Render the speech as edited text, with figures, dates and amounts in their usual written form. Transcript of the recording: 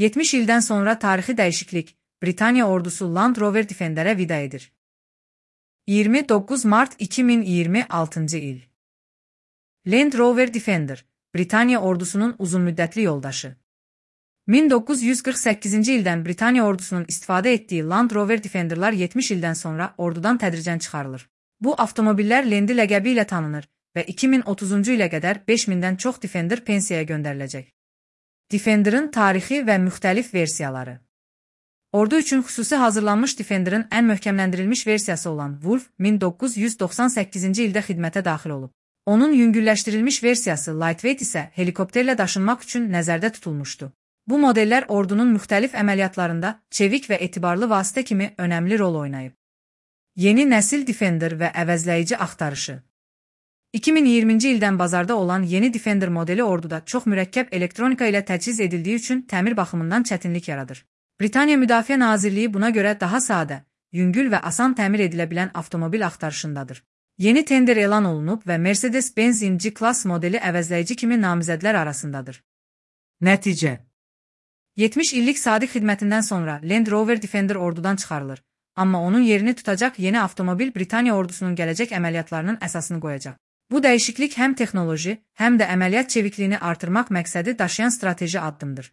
70 ildən sonra tarixi dəyişiklik, Britaniya ordusu Land Rover Defender'ə vida edir. 29 Mart 2026 il. Land Rover Defender, Britaniya ordusunun uzunmüddətli yoldaşı. 1948-ci ildən Britaniya ordusunun istifadə etdiyi Land Rover Defender'lar 70 ildən sonra ordudan tədricən çıxarılır. Bu avtomobillər Lendi ləqəbi ilə tanınır və 2030-cu ilə qədər 5000-dən çox Defender pensiyaya göndəriləcək. Defender'ın tarixi və müxtəlif versiyaları. Ordu üçün xüsusi hazırlanmış Defender'ın ən möhkəmləndirilmiş versiyası olan Wolf 1998-ci ildə xidmətə daxil olub. Onun yüngülləşdirilmiş versiyası Lightweight isə helikopterlə daşınmaq üçün nəzərdə tutulmuşdu. Bu modellər ordunun müxtəlif əməliyyatlarında çevik və etibarlı vasitə kimi önəmli rol oynayıb. Yeni nəsil Defender və əvəzləyici axtarışı. 2020-ci ildən bazarda olan yeni Defender modeli orduda çox mürəkkəb elektronika ilə təchiz edildiyi üçün təmir baxımından çətinlik yaradır. Britaniya Müdafiə Nazirliyi buna görə daha sadə, yüngül və asan təmir edilə bilən avtomobil axtarışındadır. Yeni tender elan olunub və Mercedes-Benz G-Class modeli əvəzləyici kimi namizədlər arasındadır. Nəticə 70 illik sadiq xidmətindən sonra Land Rover Defender ordudan çıxarılır, amma onun yerini tutacaq yeni avtomobil Britaniya ordusunun gələcək əməliyyatlarının əsasını qoyacaq. Bu dəyişiklik həm texnoloji, həm də əməliyyat çevikliyini artırmaq məqsədi daşıyan strateji addımdır.